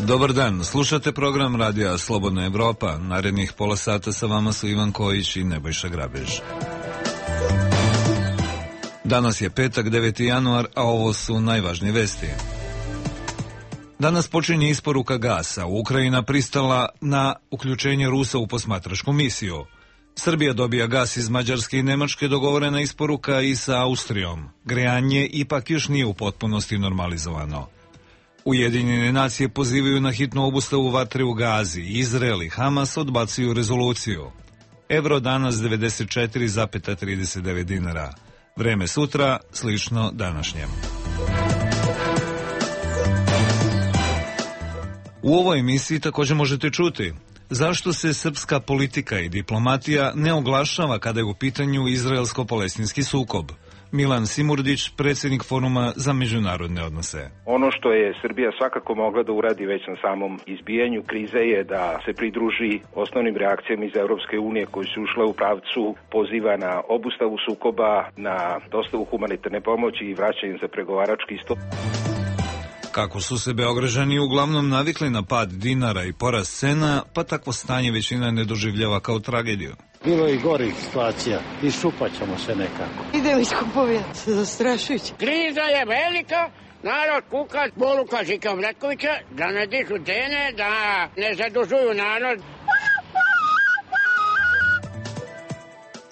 Dobar dan, slušate program Radija Slobodna Evropa. Narednih pola sata sa vama su Ivan Kojić i Nebojša Grabež. Danas je petak, 9. januar, a ovo su najvažnije vesti. Danas počinje isporuka gasa. Ukrajina pristala na uključenje Rusa u posmatračku misiju. Srbija dobija gas iz Mađarske i Nemačke, dogovorena isporuka i sa Austrijom. Grejanje ipak još nije u potpunosti normalizovano. Ujedinjene nacije pozivaju na hitnu obustavu vatre u Gazi. Izrael i Hamas odbacuju rezoluciju. Evro danas 94,39 dinara. Vreme sutra slično današnjem. U ovoj emisiji također možete čuti zašto se srpska politika i diplomatija ne oglašava kada je u pitanju izraelsko-palestinski sukob. Milan Simurdić, predsjednik Foruma za međunarodne odnose. Ono što je Srbija svakako mogla da uradi već na samom izbijanju krize je da se pridruži osnovnim reakcijama iz Europske unije koji su ušle u pravcu poziva na obustavu sukoba, na dostavu humanitarne pomoći i vraćanje za pregovarački stol. Kako su se Beograđani uglavnom navikli na pad dinara i porast cena, pa takvo stanje većina ne doživljava kao tragediju. Bilo je i gorih situacija, iščupaćemo se nekako. Idemo iz kupovina, zastrašujuće. Kriza je velika, narod kuka, boluka Žika Mletkovića, da ne dižu cene, da ne zadužuju narod.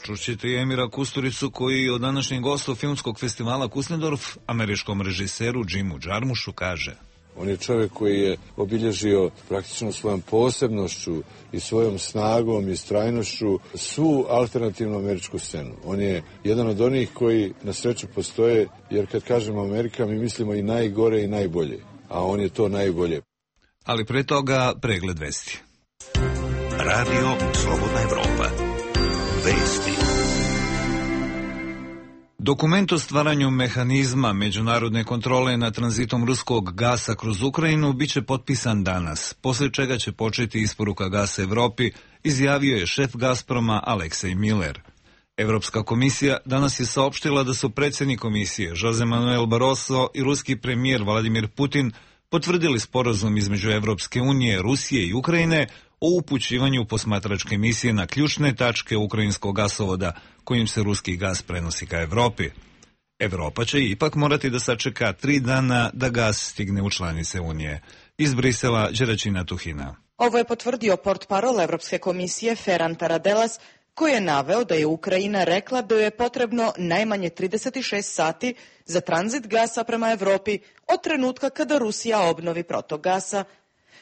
Čućete i Emira Kusturicu koji od današnjeg gosta filmskog festivala Kusnedorf američkom režiseru Jimu Jarmushu kaže: on je čovjek koji je obilježio praktično svojom posebnošću i svojom snagom i strajnošću svu alternativnu američku scenu. On je jedan od onih koji na sreću postoje, jer kad kažemo Amerika mi mislimo i najgore i najbolje, a on je to najbolje. Ali pre toga pregled vesti. Radio Slobodna Evropa. Vesti. Dokument o stvaranju mehanizma međunarodne kontrole nad tranzitom ruskog gasa kroz Ukrajinu biće potpisan danas, poslije čega će početi isporuka gasa Evropi, izjavio je šef Gazproma Aleksej Miller. Evropska komisija danas je saopštila da su predsjednik komisije Jose Manuel Barroso i ruski premijer Vladimir Putin potvrdili sporazum između Evropske unije, Rusije i Ukrajine o upućivanju posmatračke misije na ključne tačke ukrajinskog gasovoda kojim se ruski gas prenosi ka Evropi. Evropa će ipak morati da sačeka 3 dana da gas stigne u članice Unije. Iz Brisela, Đeraćina Tuhina. Ovo je potvrdio portparol Evropske komisije Ferran Taradelas, koji je naveo da je Ukrajina rekla da joj je potrebno najmanje 36 sati za tranzit gasa prema Evropi od trenutka kada Rusija obnovi protok gasa.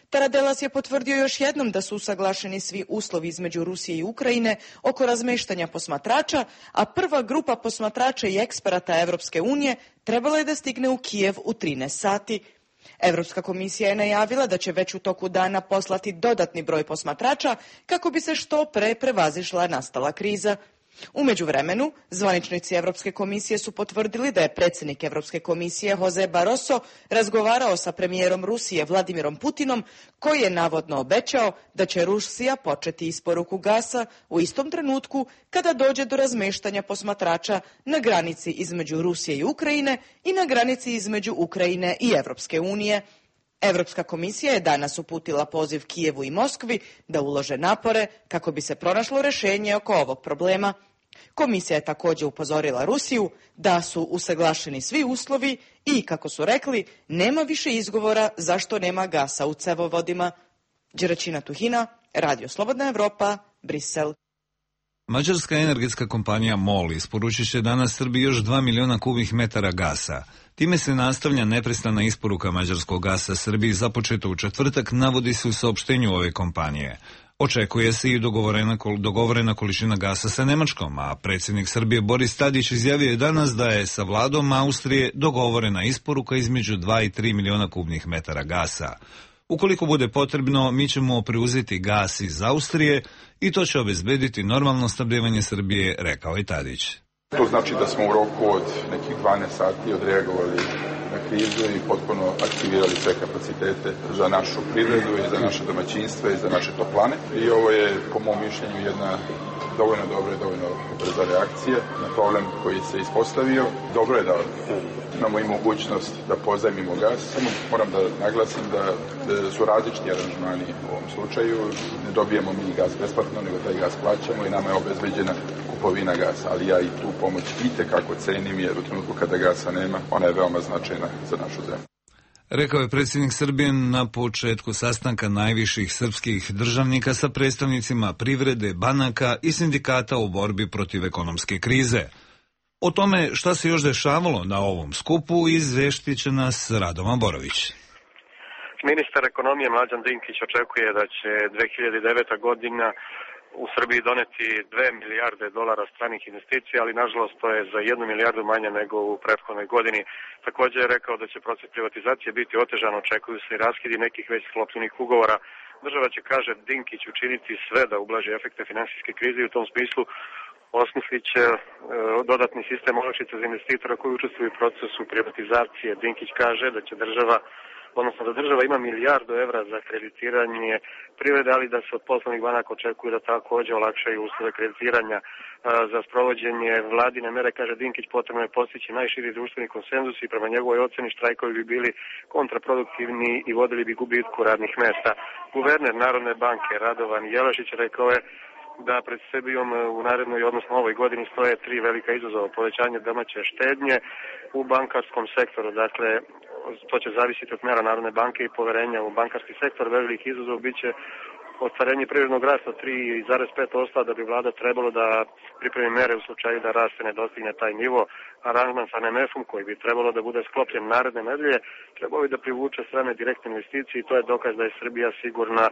Taradelas je potvrdio još jednom da su usaglašeni svi uslovi između Rusije i Ukrajine oko razmeštanja posmatrača, a prva grupa posmatrača i eksperata Evropske unije trebala je da stigne u Kijev u 13 sati. Evropska komisija je najavila da će već u toku dana poslati dodatni broj posmatrača kako bi se što pre prevazišla nastala kriza. U međuvremenu, zvaničnici Evropske komisije su potvrdili da je predsjednik Evropske komisije Jose Barroso razgovarao sa premijerom Rusije Vladimirom Putinom, koji je navodno obećao da će Rusija početi isporuku gasa u istom trenutku kada dođe do razmeštanja posmatrača na granici između Rusije i Ukrajine i na granici između Ukrajine i Evropske unije. Evropska komisija je danas uputila poziv Kijevu i Moskvi da ulože napore kako bi se pronašlo rješenje oko ovog problema. Komisija je također upozorila Rusiju da su usaglašeni svi uslovi i, kako su rekli, nema više izgovora zašto nema gasa u cevovodima. Đeraćina Tuhina, Radio Slobodna Evropa, Brisel. Mađarska energetska kompanija MOL isporučit će danas Srbiji još 2 miliona kubnih metara gasa. Time se nastavlja neprestana isporuka mađarskog gasa Srbiji započeta u četvrtak, navodi se u saopštenju ove kompanije. Očekuje se i dogovorena količina gasa sa Nemačkom, a predsjednik Srbije Boris Tadić izjavio je danas da je sa vladom Austrije dogovorena isporuka između 2 i 3 miliona kubnih metara gasa. Ukoliko bude potrebno, mi ćemo preuzeti gas iz Austrije i to će obezbediti normalno snabdevanje Srbije, rekao je Tadić. To znači da smo u roku od nekih 12 sati odreagovali krizu i potpuno aktivirali sve kapacitete za našu privredu i za naše domaćinstva i za naše toplane. I ovo je, po mom mišljenju, jedna dovoljno dobra i dovoljno brza reakcija na problem koji se ispostavio. Dobro je da imamo i mogućnost da pozajmimo gas. Samo moram da naglasim da su različiti aranžmani u ovom slučaju. Ne dobijemo mi gas besplatno, nego taj gas plaćamo i nama je obezbeđena kupovina gasa. Ali ja i tu pomoć itekako cenim, jer u trenutku kada gasa nema, ona je veoma značajna za našu zemlju. Rekao je predsjednik Srbije na početku sastanka najviših srpskih državnika sa predstavnicima privrede, banaka i sindikata u borbi protiv ekonomske krize. O tome šta se još dešavalo na ovom skupu izveštit će nas Radovan Borović. Ministar ekonomije Mlađan Dinkić očekuje da će 2009. godina u Srbiji doneti 2 milijarde dolara stranih investicija, ali nažalost to je za 1 milijardu manje nego u prethodnoj godini. Također je rekao da će proces privatizacije biti otežan, očekuju se i raskidi nekih već sklopljenih ugovora. Država će, kaže Dinkić, učiniti sve da ublaži efekte finansijske krize i u tom smislu osmislit će dodatni sistem olakšica za investitora koji učestvuju u procesu privatizacije. Dinkić kaže da će da država ima milijardu evra za kreditiranje privrede, ali da se od poslovnih banaka očekuje da također olakšaju uslove kreditiranja. Za sprovođenje vladine mere, kaže Dinkić, potrebno je postići najširi društveni konsenzus i prema njegovoj oceni štrajkovi bi bili kontraproduktivni i vodili bi gubitku radnih mesta. Guverner Narodne banke Radovan Jelašić rekao je da pred Srbijom u narednoj, odnosno ovoj godini, stoje 3 velika izazova: povećanje domaće štednje u bankarskom sektoru. Dakle, to će zavisiti od mera Narodne banke i poverenja u bankarski sektor. Velik izazov biće ostvarenje privrednog rasta 3,5%, da bi vlada trebalo da pripremi mere u slučaju da rast ne dostigne taj nivo. Aranžman sa MMF-om, koji bi trebalo da bude sklopljen naredne nedelje, trebao bi da privuče strane direktne investicije i to je dokaz da je Srbija sigurna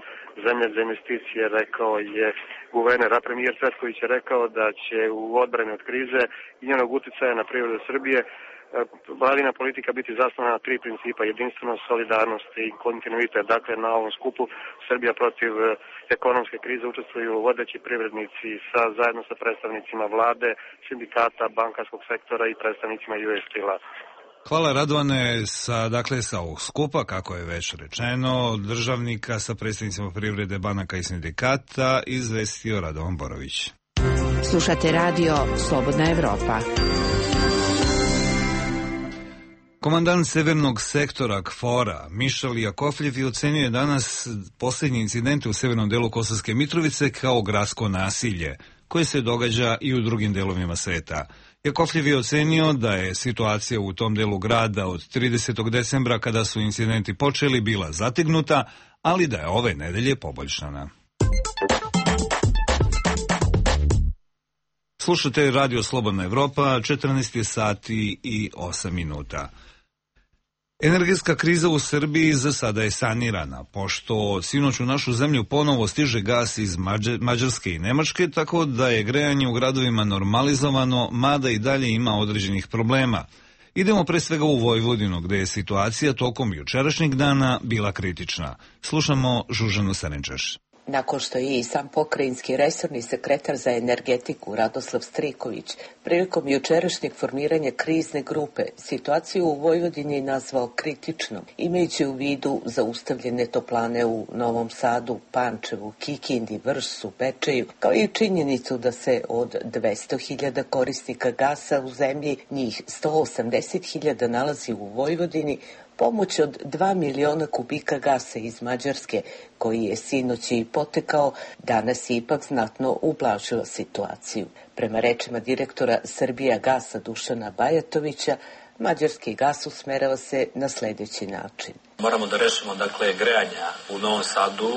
zemlja za investicije, rekao je guverner. A premijer Cvetković je rekao da će u odbrani od krize i njenog uticaja na privredu Srbije vladina politika biti zasnovana na 3 principa: jedinstvenost, solidarnost i kontinuitet. Dakle, na ovom skupu Srbija protiv ekonomske krize učestvuju vodeći privrednici zajedno sa predstavnicima vlade, sindikata, bankarskog sektora i predstavnicima US Steel-a. Hvala Radovane. Sa ovog skupa, kako je već rečeno, državnika sa predstavnicima privrede, banaka i sindikata izvestio Radovan Borović. Slušate radio Slobodna Evropa. Komandant severnog sektora KFOR-a Mišel Jakovljev ocenjuje danas posljednje incidente u severnom delu Kosovske Mitrovice kao gradsko nasilje, koje se događa i u drugim delovima sveta. Jakovljev je ocenio da je situacija u tom delu grada od 30. decembra, kada su incidenti počeli, bila zategnuta, ali da je ove nedelje poboljšana. Slušate Radio Slobodna Evropa, 14 sati i 8 minuta. Energetska kriza u Srbiji za sada je sanirana, pošto sinoć u našu zemlju ponovo stiže gas iz Mađarske i Nemačke, tako da je grejanje u gradovima normalizovano, mada i dalje ima određenih problema. Idemo pre svega u Vojvodinu, gde je situacija tokom jučerašnjeg dana bila kritična. Slušamo Žužanu Sarenčaš. Nakon što je i sam pokrajinski resorni sekretar za energetiku Radoslav Striković prilikom jučerašnjeg formiranja krizne grupe situaciju u Vojvodini nazvao kritičnom, imajući u vidu zaustavljene toplane u Novom Sadu, Pančevu, Kikindi, Vršcu, Bečeju, kao i činjenicu da se od 200.000 korisnika gasa u zemlji njih 180.000 nalazi u Vojvodini, pomoć od 2 miliona kubika gasa iz Mađarske, koji je sinoć i potekao, danas je ipak znatno ublažila situaciju. Prema rečima direktora Srbija gasa Dušana Bajatovića, mađarski gas usmerava se na sljedeći način. Moramo da rešimo grejanja u Novom Sadu,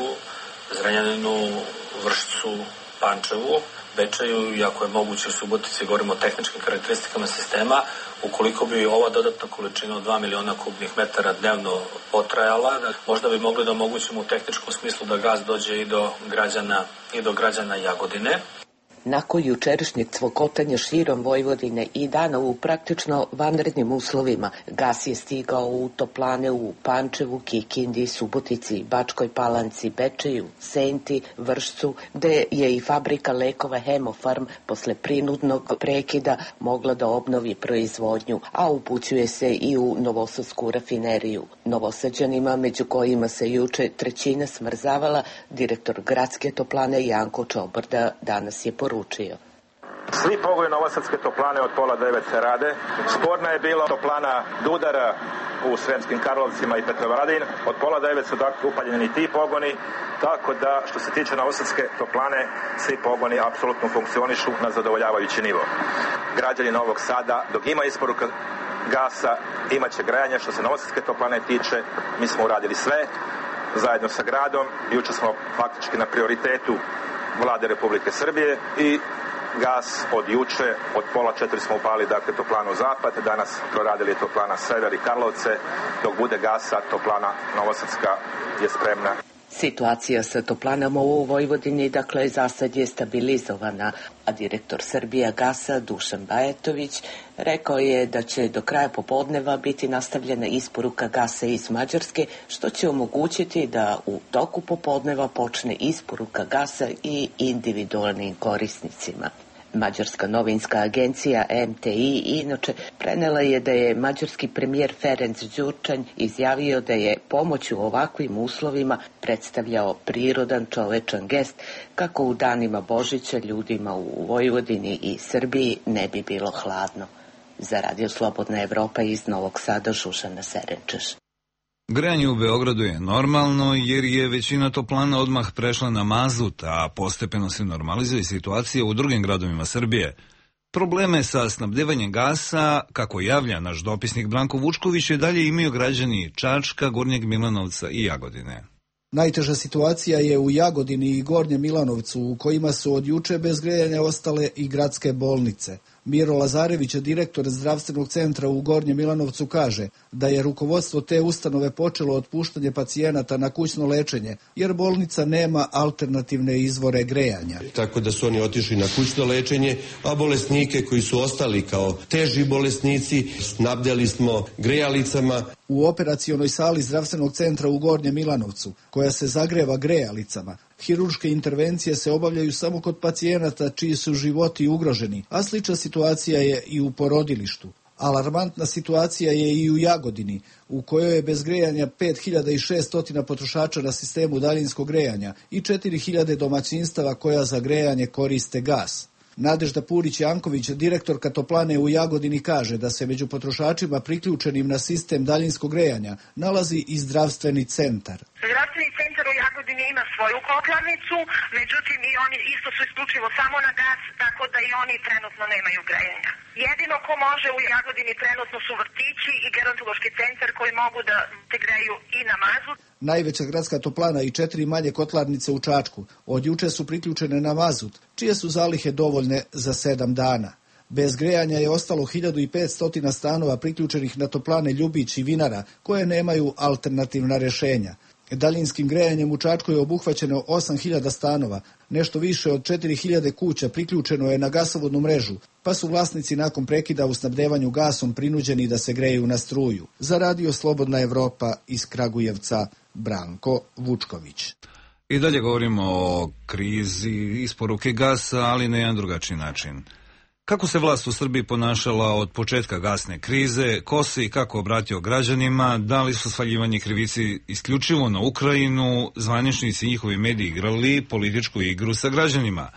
Zrenjaninu, Vršcu, Pančevu, Bečeju i ako je moguće u Subotici, govorimo o tehničkim karakteristikama sistema. Ukoliko bi ova dodatna količina od 2 miliona kubnih metara dnevno potrajala, možda bi mogli da omogućimo u tehničkom smislu da gas dođe i do građana Jagodine. Nakon jučerašnjeg cvokotanja širom Vojvodine i dana u praktično vanrednim uslovima, gas je stigao u toplane u Pančevu, Kikindi, Subotici, Bačkoj Palanci, Bečeju, Senti, Vršcu, gde je i fabrika lekova Hemofarm posle prinudnog prekida mogla da obnovi proizvodnju, a upućuje se i u novosadsku rafineriju. Novosađanima, među kojima se juče trećina smrzavala, direktor gradske toplane Janko Čobrda danas je poručio. Svi pogoni novosadske toplane od 8:30 rade. Sporna je bila toplana Dudara u Sremskim Karlovcima i Petrovaradin. Od 8:30 su dakle upaljeni ti pogoni, tako da što se tiče novosadske toplane, svi pogoni apsolutno funkcionišu na zadovoljavajući nivo. Građani Novog Sada, dok ima isporuka gasa, imaće grejanje. Što se novosadske toplane tiče, mi smo uradili sve zajedno sa gradom. Juče smo faktički na prioritetu Vlade Republike Srbije i gas od juče, od 3:30 smo upali, dakle, toplanu Zapad, danas proradili toplana Sever i Karlovce, dok bude gasa, toplana Novosadska je spremna. Situacija sa toplanama u Vojvodini, dakle, za sad je stabilizovana, a direktor Srbija gasa Dušan Bajatović rekao je da će do kraja popodneva biti nastavljena isporuka gasa iz Mađarske, što će omogućiti da u toku popodneva počne isporuka gasa i individualnim korisnicima. Mađarska novinska agencija MTI inače prenela je da je mađarski premijer Ferenc Đurčanj izjavio da je pomoć u ovakvim uslovima predstavljao prirodan čovečan gest kako u danima Božića ljudima u Vojvodini i Srbiji ne bi bilo hladno. Za Radio Slobodna Evropa iz Novog Sada, Šušana Serenčeš. Grejanje u Beogradu je normalno jer je većina toplana odmah prešla na mazut, a postepeno se normalizuje situacija u drugim gradovima Srbije. Probleme sa snabdevanjem gasa, kako javlja naš dopisnik Branko Vučković, je dalje imaju građani Čačka, Gornjeg Milanovca i Jagodine. Najteža situacija je u Jagodini i Gornjem Milanovcu, u kojima su od juče bez grejanja ostale i gradske bolnice. Miro Lazarević, direktor zdravstvenog centra u Gornjem Milanovcu, kaže da je rukovodstvo te ustanove počelo otpuštanje pacijenata na kućno lečenje, jer bolnica nema alternativne izvore grejanja. Tako da su oni otišli na kućno lečenje, a bolesnike koji su ostali kao teži bolesnici snabdjeli smo grejalicama. U operacionoj sali zdravstvenog centra u Gornjem Milanovcu, koja se zagreva grejalicama, hirurške intervencije se obavljaju samo kod pacijenata čiji su životi ugroženi, a slična situacija je i u porodilištu. Alarmantna situacija je i u Jagodini, u kojoj je bez grejanja 5600 potrošača na sistemu daljinskog grejanja i 4000 domaćinstava koja za grejanje koriste gas. Nadežda Purić-Janković, direktorka toplane u Jagodini, kaže da se među potrošačima priključenim na sistem daljinskog grejanja nalazi i zdravstveni centar. Zdravstveni centar u Jagodini ima svoju kotlarnicu, međutim i oni isto su isključivo samo na gas, tako da i oni trenutno nemaju grejanja. Jedino ko može u Jagodini trenutno su vrtići i gerontološki centar koji mogu da se greju i na mazut. Najveća gradska toplana i 4 manje kotlarnice u Čačku od juče su priključene na mazut, čije su zalihe dovoljne za 7 dana. Bez grejanja je ostalo 1500 stanova priključenih na toplane Ljubić i Vinara, koje nemaju alternativna rješenja. Daljinskim grejanjem u Čačku je obuhvaćeno 8000 stanova, nešto više od 4000 kuća priključeno je na gasovodnu mrežu, pa su vlasnici nakon prekida u snabdevanju gasom prinuđeni da se greju na struju. Za Radio Slobodna Evropa iz Kragujevca, Branko Vučković. I dalje govorimo o krizi isporuke gasa, ali na jedan drugačiji način. Kako se vlast u Srbiji ponašala od početka gasne krize, ko se i kako obratio građanima, da li su svaljivanje krivici isključivo na Ukrajinu, zvaničnici i njihovi mediji igrali političku igru sa građanima?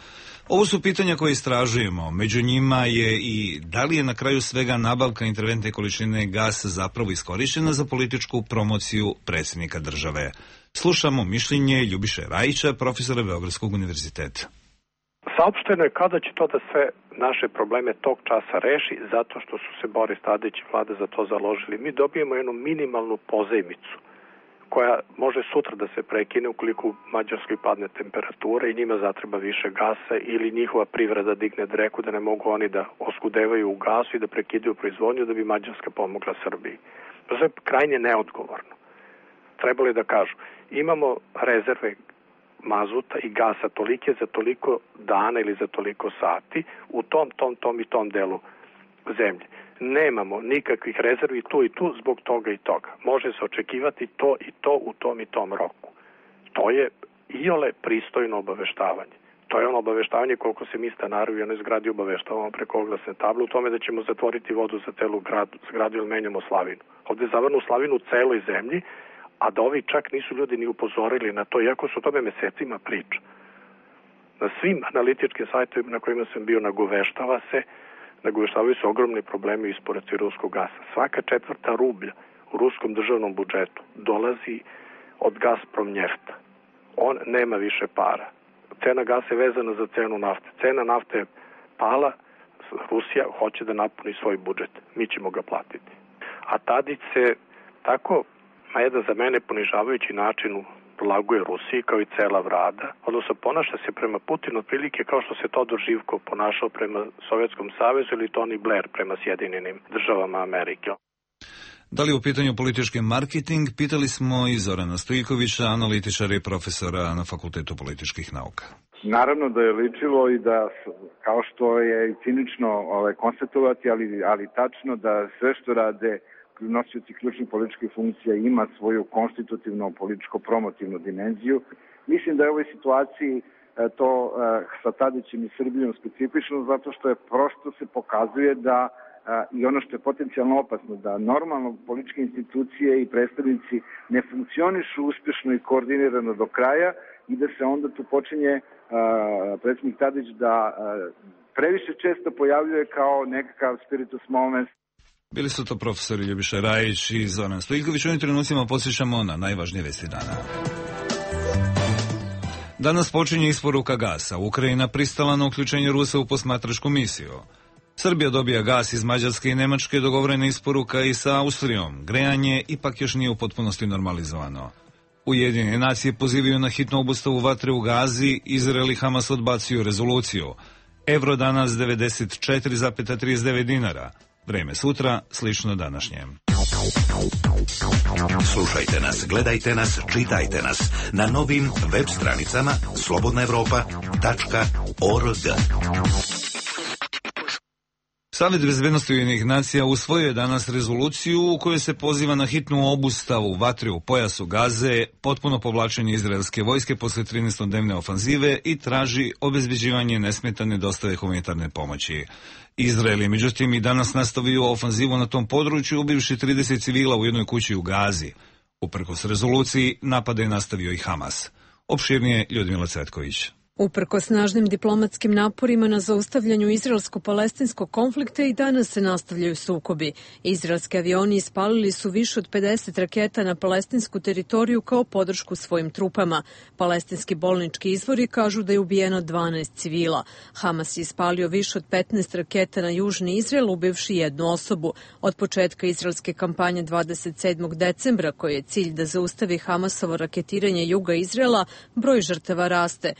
Ovo su pitanja koje istražujemo. Među njima je i da li je na kraju svega nabavka interventne količine gasa zapravo iskorišćena za političku promociju predsjednika države. Slušamo mišljenje Ljubiše Rajića, profesora Beogradskog univerziteta. Saopšteno je kada će to da sve naše probleme tog časa reši, zato što su se Boris Tadić i vlada za to založili. Mi dobijemo jednu minimalnu pozajmicu koja može sutra da se prekine ukoliko u Mađarskoj padne temperatura i njima zatreba više gasa ili njihova privreda digne dreku da ne mogu oni da oskudevaju u gasu i da prekidaju proizvodnju da bi Mađarska pomogla Srbiji. To je krajnje neodgovorno. Trebalo je da kažu, imamo rezerve mazuta i gasa tolike za toliko dana ili za toliko sati u tom delu zemlje. Nemamo nikakvih rezervi tu i tu zbog toga i toga. Može se očekivati to i to u tom i tom roku. To je iole pristojno obaveštavanje. To je ono obaveštavanje koliko se mi stanari u jednoj zgradi obaveštavamo preko oglasne table u tome da ćemo zatvoriti vodu za celu zgradu ili menjamo slavinu. Ovde je zavrnu slavinu u celoj zemlji, a da ovi čak nisu ljudi ni upozorili na to, iako su o tome mesecima priča. Na svim analitičkim sajtovima na kojima sam bio nagoveštavaju se ogromni problemi u isporuci ruskog gasa. Svaka 1/4 rublja u ruskom državnom budžetu dolazi od Gazprom njefta. On nema više para. Cena gasa je vezana za cenu nafte. Cena nafte je pala, Rusija hoće da napuni svoj budžet. Mi ćemo ga platiti. A Tadić se tako, na jedan za mene ponižavajući način laguje Rusiji kao i cela vlada, odnosno ponaša se prema Putinu otprilike kao što se Todor Živkov ponašao prema Sovjetskom savezu ili Tony Blair prema Sjedinjenim državama Amerike. Da li u pitanju politički marketing, pitali smo i Zorana Stojkovića, analitičara i profesora na Fakultetu političkih nauka. Naravno da je ličilo i da, kao što je cinično konstatovati, ali tačno da sve što rade nosioci ključnih političkih funkcija ima svoju konstitutivnu političko-promotivnu dimenziju. Mislim da je u ovoj situaciji to sa Tadićem i Srbijom specifično, zato što je prosto se pokazuje da i ono što je potencijalno opasno, da normalno političke institucije i predstavnici ne funkcionišu uspješno i koordinirano do kraja i da se onda tu počinje predsjednik Tadić da previše često pojavljuje kao nekakav spiritus movens. Bili su to profesori Ljubiša Rajić i Zoran Stojković. U ovim trenucima podsjećamo na najvažnije vesti dana. Danas počinje isporuka gasa. Ukrajina pristala na uključenje Rusa u posmatračku misiju. Srbija dobija gas iz Mađarske i Nemačke, dogovorena isporuka i sa Austrijom. Grejanje ipak još nije u potpunosti normalizovano. Ujedinjene nacije pozivaju na hitnu obustavu vatre u Gazi, Izrael i Hamas odbacuju rezoluciju. Evro danas 94,39 dinara. Vreme sutra slično današnjem. Slušajte nas, gledajte nas, čitajte nas na novim web stranicama slobodnaevropa.org. Savet bezbednosti Ujedinjenih nacija usvojio je danas rezoluciju u kojoj se poziva na hitnu obustavu vatre u pojasu Gaze, potpuno povlačenje izraelske vojske posle 13-dnevne ofanzive i traži obezbeđivanje nesmetane dostave humanitarne pomoći. Izrael je međutim i danas nastavio ofanzivu na tom području, ubivši 30 civila u jednoj kući u Gazi. Uprkos rezoluciji, napade je nastavio i Hamas. Opširnije Ljudmila Cvetković. Uprkos snažnim diplomatskim naporima na zaustavljanju izraelsko-palestinskog konflikta i danas se nastavljaju sukobi. Izraelski avioni ispalili su više od 50 raketa na palestinsku teritoriju kao podršku svojim trupama. Palestinski bolnički izvori kažu da je ubijeno 12 civila. Hamas je ispalio više od 15 raketa na južni Izrael, ubivši jednu osobu. Od početka izraelske kampanje 27. decembra, koji je cilj da zaustavi Hamasovo raketiranje juga Izraela, broj žrtava raste.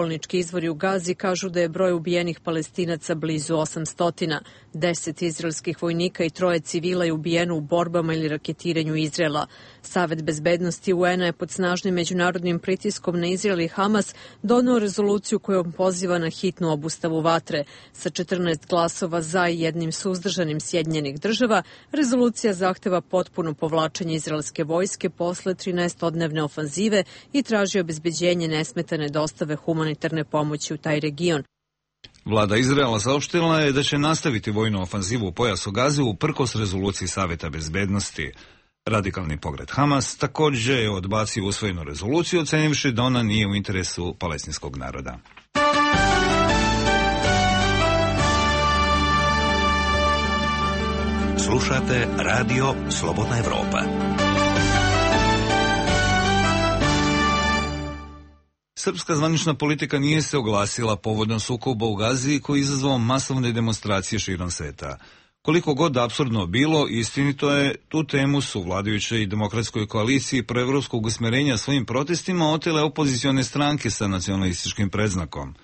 Bolnički izvori u Gazi kažu da je broj ubijenih Palestinaca blizu 800. 10 izraelskih vojnika i 3 civila je ubijeno u borbama ili raketiranju Izraela. Savet bezbednosti UN-a je pod snažnim međunarodnim pritiskom na Izrael i Hamas doneo rezoluciju kojom poziva na hitnu obustavu vatre. Sa 14 glasova za i jednim suzdržanim Sjedinjenih država, rezolucija zahteva potpuno povlačenje izraelske vojske posle 13-dnevne ofanzive i traži obezbeđenje nesmetane dostave humanitarne pomoći u taj region. Vlada Izraela saopštila je da će nastaviti vojnu ofanzivu u pojasu Gaze uprkos rezoluciji Saveta bezbednosti. Radikalni pokret Hamas također je odbacio usvojenu rezoluciju, ocenivši da ona nije u interesu palestinskog naroda. Slušate radio Slobodna Evropa. Srpska zvanična politika nije se oglasila povodom sukoba u Gazi koji je izazvao masovne demonstracije širom sveta. Koliko god apsurdno bilo, istinito je, tu temu su vladajućoj i demokratskoj koaliciji proevropskog usmjerenja svojim protestima otele opozicione stranke sa nacionalističkim predznakom.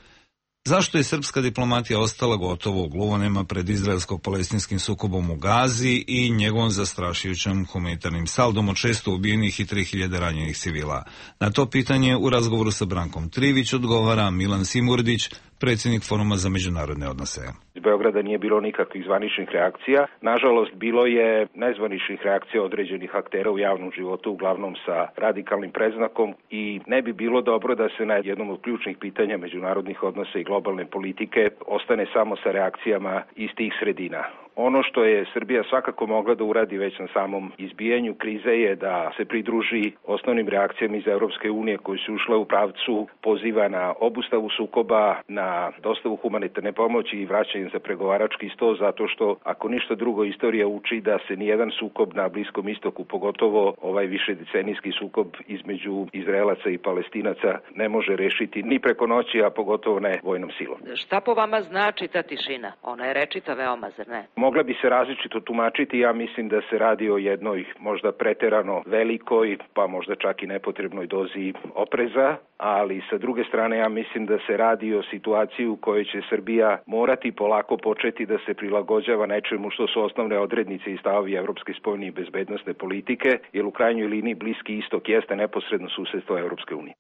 Zašto je srpska diplomatija ostala gotovo u gluvonema pred izraelsko-palestinskim sukobom u Gazi i njegovom zastrašujućim humanitarnim saldom od 600 ubijenih i 3000 ranjenih civila? Na to pitanje u razgovoru sa Brankom Trivić odgovara Milan Simurdić, predsjednik Foruma za međunarodne odnose. Iz Beograda nije bilo nikakvih zvaničnih reakcija. Nažalost, bilo je nezvaničnih reakcija određenih aktera u javnom životu, uglavnom sa radikalnim predznakom, i ne bi bilo dobro da se na jednom od ključnih pitanja međunarodnih odnosa i globalne politike ostane samo sa reakcijama iz tih sredina. Ono što je Srbija svakako mogla da uradi već na samom izbijanju krize je da se pridruži osnovnim reakcijama iz Europske unije koji su ušle u pravcu poziva na obustavu sukoba, na dostavu humanitarne pomoći i vraćanje za pregovarački sto, zato što ako ništa drugo istorija uči da se nijedan sukob na Bliskom istoku, pogotovo ovaj višedecenijski sukob između Izraelaca i Palestinaca, ne može rešiti ni preko noći, a pogotovo ne vojnom silom. Šta po vama znači ta tišina? Ona je rečita veoma, zar ne? Mogla bi se različito tumačiti, ja mislim da se radi o jednoj možda preterano velikoj, pa možda čak i nepotrebnoj dozi opreza, ali sa druge strane ja mislim da se radi o situaciji u kojoj će Srbija morati polako početi da se prilagođava nečemu što su osnovne odrednice i stavovi evropske spoljne i bezbednosne politike, jer u krajnjoj liniji Bliski istok jeste neposredno susedstvo Evropske unije.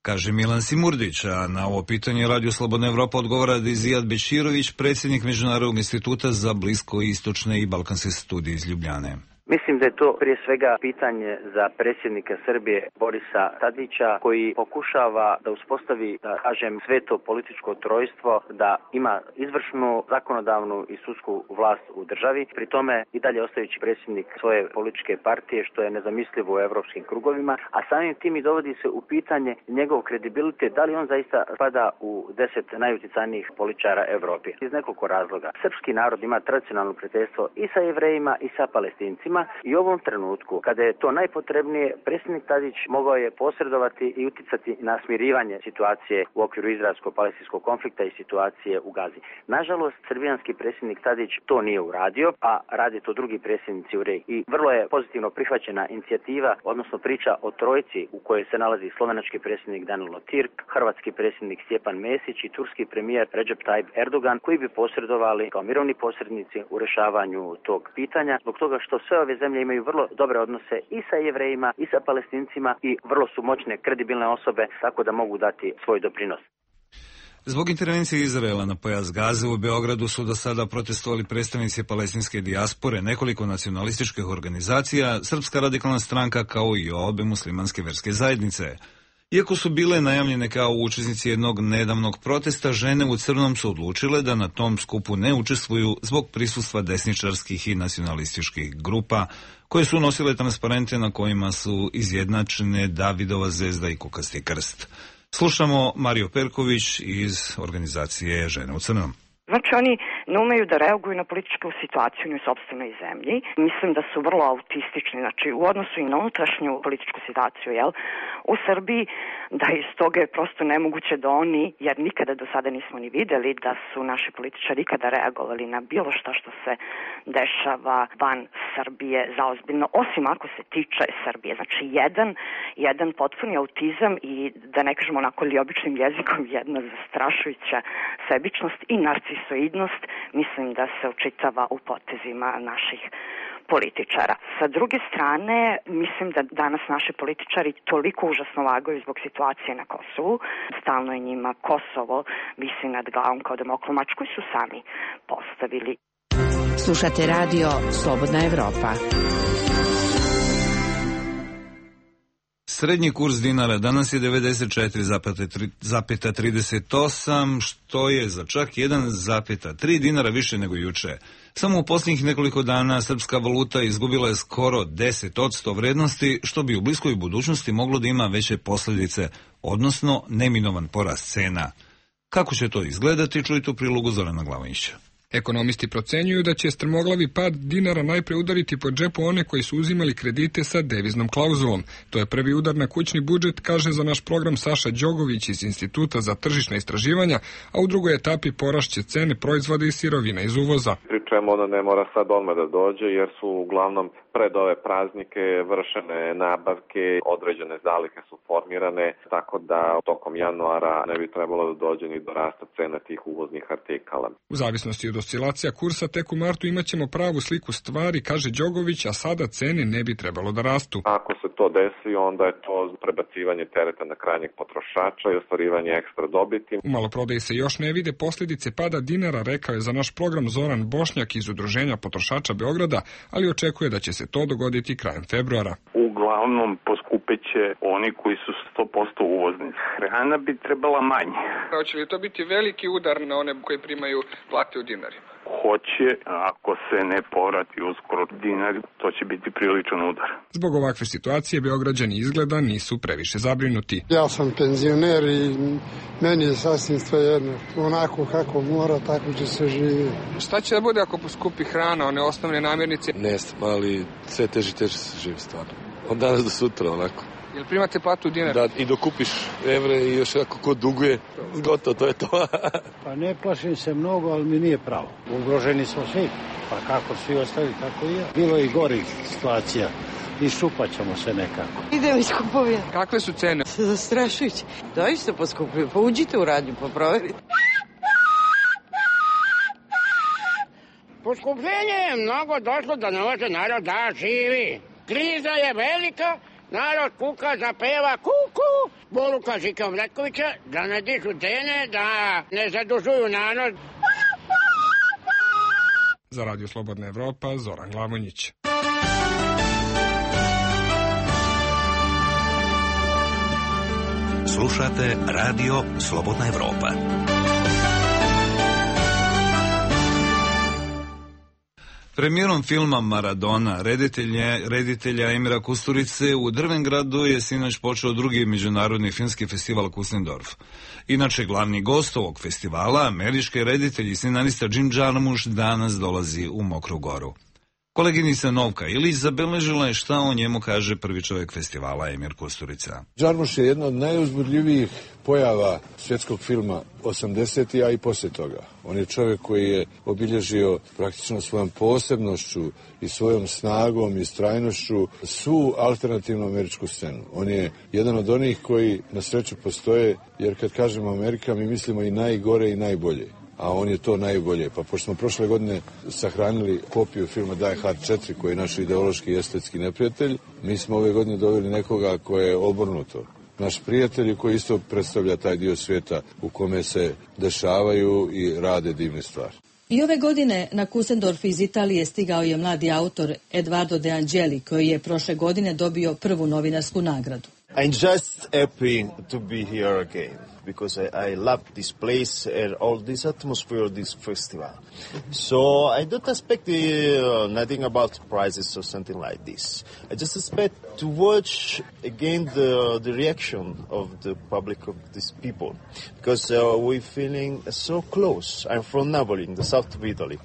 Kaže Milan Simurdić, a na ovo pitanje Radio Slobodna Evropa odgovara Dijat Beširović, predsjednik Međunarodnog instituta za bliskoistočne i balkanske studije iz Ljubljane. Mislim da je to prije svega pitanje za predsjednika Srbije Borisa Tadića, koji pokušava da uspostavi, da kažem, sveto političko trojstvo, da ima izvršnu, zakonodavnu i sudsku vlast u državi, pri tome i dalje ostajući predsjednik svoje političke partije, što je nezamislivo u evropskim krugovima, a samim tim i dovodi se u pitanje njegov kredibilitet, da li on zaista spada u 10 najuticajnijih političara Evrope. Iz nekoliko razloga. Srpski narod ima tradicionalno prijateljstvo i sa Jevrejima i sa Palestincima, i u ovom trenutku, kada je to najpotrebnije, predsjednik Tadić mogao je posredovati i uticati na smirivanje situacije u okviru izraelsko-palestinskog konflikta i situacije u Gazi. Nažalost, srbijanski predsjednik Tadić to nije uradio, a radi to drugi predsjednici u regiji. I vrlo je pozitivno prihvaćena inicijativa, odnosno priča o trojci u kojoj se nalazi slovenački predsjednik Danilo Türk, hrvatski predsjednik Stjepan Mesić i turski premijer Recep Tayyip Erdogan, koji bi posredovali kao mirovni posrednici u rešavanju tog pitanja, zbog toga što sve ove zemlje imaju vrlo dobre odnose i sa Jevrejima i sa Palestincima i vrlo su moćne, kredibilne osobe, tako da mogu dati svoj doprinos. Zbog intervencije Izraela na pojas Gaze u Beogradu su do sada protestovali predstavnici palestinske dijaspore, nekoliko nacionalističkih organizacija, Srpska radikalna stranka kao i obe muslimanske verske zajednice. Iako su bile najavljene kao učesnici jednog nedavnog protesta, žene u crnom su odlučile da na tom skupu ne učestvuju zbog prisustva desničarskih i nacionalističkih grupa koje su nosile transparente na kojima su izjednačene Davidova zvezda i kukasti krst. Slušamo Mariju Perković iz organizacije Žene u crnom. Znači, oni ne umeju da reaguju na političku situaciju u sopstvenoj zemlji. Mislim da su vrlo autistični, znači u odnosu i na unutrašnju političku situaciju, u Srbiji, da iz toga je prosto nemoguće da oni, jer nikada do sada nismo ni videli da su naši političari ikada reagovali na bilo što se dešava van Srbije zaozbiljno, osim ako se tiče Srbije. Znači, jedan potpuni autizam i, da ne kažemo onako li običnim jezikom, jedna zastrašujuća sebičnost i narcisoidnost, mislim da se očitava u potezima naših političara. Sa druge strane, mislim da danas naši političari toliko užasno vagaju zbog situacije na Kosovu. Stalno je njima Kosovo visi nad glavom kao damoklomač koji su sami postavili. Slušate radio Slobodna Evropa. Srednji kurs dinara danas je 94,38, što je za čak 1,3 dinara više nego juče. Samo u posljednjih nekoliko dana srpska valuta izgubila je skoro 10% vrednosti, što bi u bliskoj budućnosti moglo da ima veće posljedice, odnosno neminovan porast cena. Kako će to izgledati, čujte u prilogu Zorana Glavinića. Ekonomisti procenjuju da će strmoglavi pad dinara najpre udariti po džepu one koji su uzimali kredite sa deviznom klauzulom. To je prvi udar na kućni budžet, kaže za naš program Saša Đogović iz Instituta za tržišna istraživanja, a u drugoj etapi porašće cene proizvoda i sirovina iz uvoza. Pri čemu ona ne mora sad odmah da dođe, jer su uglavnom pred ove praznike vršene nabavke, određene zalihe su formirane, tako da tokom januara ne bi trebalo da dođe ni do rasta cena tih uvoznih artikala. U zavisnosti od oscilacija kursa, tek u martu imaćemo pravu sliku stvari, kaže Đogović, a sada cene ne bi trebalo da rastu. Ako se to desi, onda je to prebacivanje tereta na krajnjeg potrošača i ostvarivanje ekstra dobiti. U maloprodaji se još ne vide posljedice pada dinara, rekao je za naš program Zoran Bošnjak iz Udruženja potrošača Beograda, ali očekuje da će se to dogoditi krajem februara. Uglavnom poskupeće oni koji su 100% uvozni. Hrana bi trebala manje. Hoće li to biti veliki udar na one koji primaju plate u dinarima? Hoće, ako se ne povrati uskoro dinar, to će biti priličan udar. Zbog ovakve situacije Beograđani izgleda nisu previše zabrinuti. Ja sam penzioner i meni je sasvim svejedno. Onako kako mora, tako će se živi. Šta će da bude ako poskupi hrana, one osnovne namirnice? Ne znam, ali sve teže se živi stvarno. Od danas do sutra onako. Jel primate platu u dinar? Da, i dokupiš evre i još ako ko duguje, gotovo, to je to. Pa ne plašim se mnogo, ali mi nije pravo. Ugroženi smo svi, pa kako svi ostali, tako i ja. Bilo je i gorih situacija. I šupat ćemo se nekako. Idemo iz kupovine. Kakve su cene? Zastrašujuće. Doista poskupljuju, pa uđite u radnju, pa proverite. Poskupljenje je mnogo došlo da ne može narod da živi. Kriza je velika. Narod kuka, zapeva kuku, poruka Žika Omletkovića da ne dižu cene, da ne zadužuju narod. Za Radio Slobodna Evropa, Zoran Glavonjić. Slušate Radio Slobodna Evropa. Premijerom filma Maradona, reditelja Emira Kusturice, u Drvengradu je sinoć počeo drugi međunarodni filmski festival Kusendorf. Inače, glavni gost ovog festivala, američki reditelj i scenarista Jim Jarmusch, danas dolazi u Mokru Goru. Koleginica Novka Ilić zabeležila je šta o njemu kaže prvi čovjek festivala Emir Kusturica. Jarmusch je jedna od najuzbudljivijih pojava svjetskog filma 80-ih, a i poslije toga. On je čovjek koji je obilježio praktično svojom posebnošću i svojom snagom i strajnošću svu alternativnu američku scenu. On je jedan od onih koji na sreću postoje, jer kad kažemo Amerika mi mislimo i najgore i najbolje. A on je to najbolje. Pa pošto smo prošle godine sahranili kopiju filma Die Hard 4, koji je naš ideološki i estetski neprijatelj, mi smo ove godine doveli nekoga koje je obrnuto. Naš prijatelj koji isto predstavlja taj dio svijeta u kome se dešavaju i rade divne stvari. I ove godine na Kusendorf iz Italije stigao je mladi autor Edoardo De Angeli, koji je prošle godine dobio prvu novinarsku nagradu. I'm just happy to be here again because I love this place and all this atmosphere of this festival. So I don't expect nothing about prizes or something like this. I just expect to watch again the reaction of the public of these people because we're feeling so close. I'm from Napoli, in the south of Italy.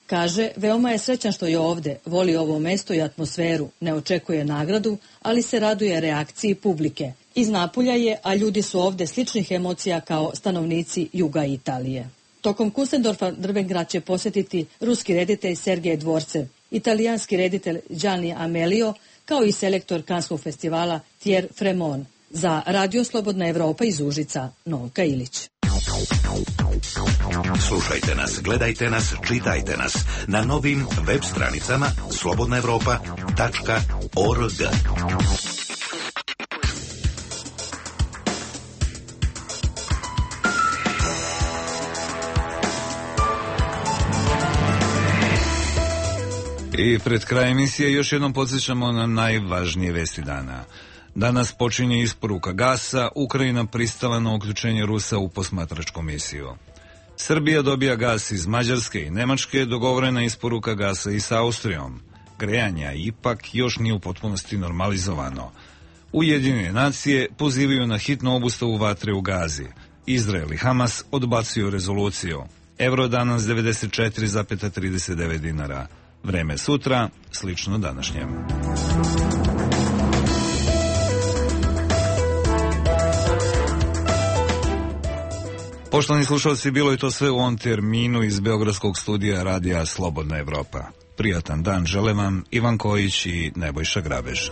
Kaže, veoma je srećan što je ovde, voli ovo mesto i atmosferu, ne očekuje nagradu, ali se raduje reakciji publike. Iz Napulja je, a ljudi su ovde sličnih emocija kao stanovnici juga Italije. Tokom Kusendorfa Drvengrad će posjetiti ruski reditelj Sergej Dvorcev, italijanski reditelj Gianni Amelio, kao i selektor Kanskog festivala Thierry Fremont. Za Radio Slobodna Evropa iz Užica, Novka Ilić. Slušajte nas, gledajte nas, čitajte nas na novim web stranicama slobodnaevropa.org. I pred kraj emisije još jednom podsjećamo na najvažnije vesti dana. Danas počinje isporuka gasa, Ukrajina pristala na uključenje Rusa u posmatračku misiju. Srbija dobija gas iz Mađarske i Nemačke, dogovorena isporuka gasa i s Austrijom. Grejanja ipak još nije u potpunosti normalizovano. Ujedinjene nacije pozivaju na hitnu obustavu vatre u Gazi. Izrael i Hamas odbacuju rezoluciju. Evro danas 94,39 dinara. Vreme sutra, slično današnjem. Poštovani slušalci, bilo je to sve u ovom terminu iz Beogradskog studija Radija Slobodna Evropa. Prijatan dan žele vam Ivan Kojić i Nebojša Grabež.